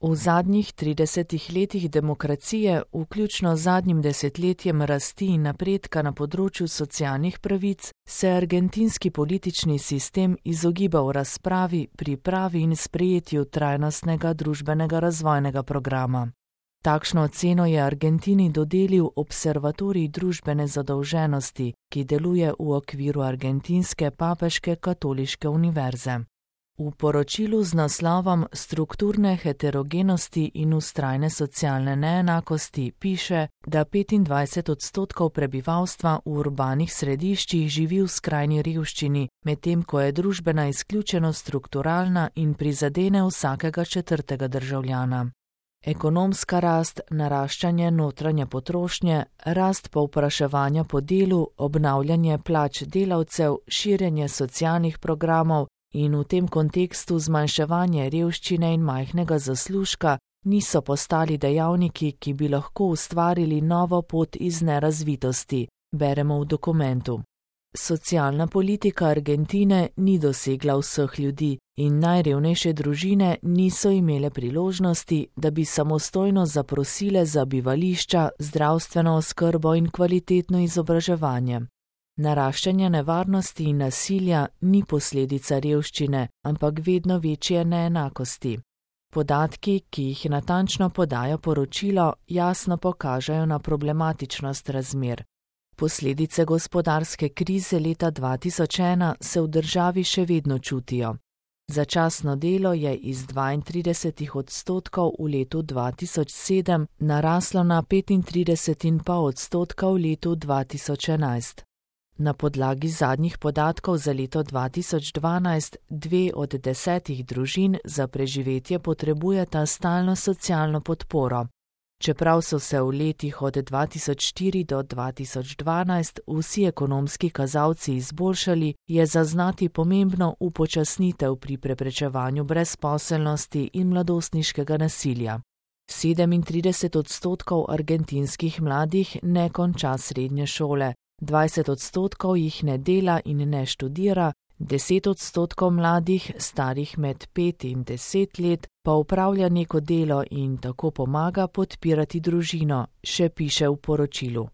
V zadnjih 30 letih demokracije, vključno z zadnjim desetletjem rasti in napredka na področju socialnih pravic, se argentinski politični sistem izogibal razpravi, pripravi in sprejetju trajnostnega družbenega razvojnega programa. Takšno oceno je Argentini dodelil Observatorij družbene zadolženosti, ki deluje v okviru Argentinske papeške katoliške univerze. V poročilu z naslovom Strukturne heterogenosti in vztrajne socialne neenakosti piše, da 25% prebivalstva v urbanih središčih živi v skrajni revščini, medtem ko je družbena izključenost strukturalna in prizadene vsakega četrtega državljana. Ekonomska rast, naraščanje notranje potrošnje, rast povpraševanja po delu, obnavljanje plač delavcev, širjenje socialnih programov in v tem kontekstu zmanjševanje revščine in majhnega zaslužka niso postali dejavniki, ki bi lahko ustvarili novo pot iz nerazvitosti, beremo v dokumentu. Socialna politika Argentine ni dosegla vseh ljudi in najrevnejše družine niso imele priložnosti, da bi samostojno zaprosile za bivališča, zdravstveno oskrbo in kvalitetno izobraževanje. Naraščanje nevarnosti in nasilja ni posledica revščine, ampak vedno večje neenakosti. Podatki, ki jih natančno podaja poročilo, jasno pokažejo na problematičnost razmer. Posledice gospodarske krize leta 2001 se v državi še vedno čutijo. Začasno delo je iz 32% v letu 2007 naraslo na 35,5% v letu 2011. Na podlagi zadnjih podatkov za leto 2012 2 od 10 družin za preživetje potrebujeta stalno socialno podporo. Čeprav so se v letih od 2004 do 2012 vsi ekonomski kazalci izboljšali, je zaznati pomembno upočasnitev pri preprečevanju brezposelnosti in mladostniškega nasilja. 37% argentinskih mladih ne konča srednje šole, 20% jih ne dela in ne študira, 10% mladih, starih med 5 in 10 let, pa opravlja neko delo in tako pomaga podpirati družino, še piše v poročilu.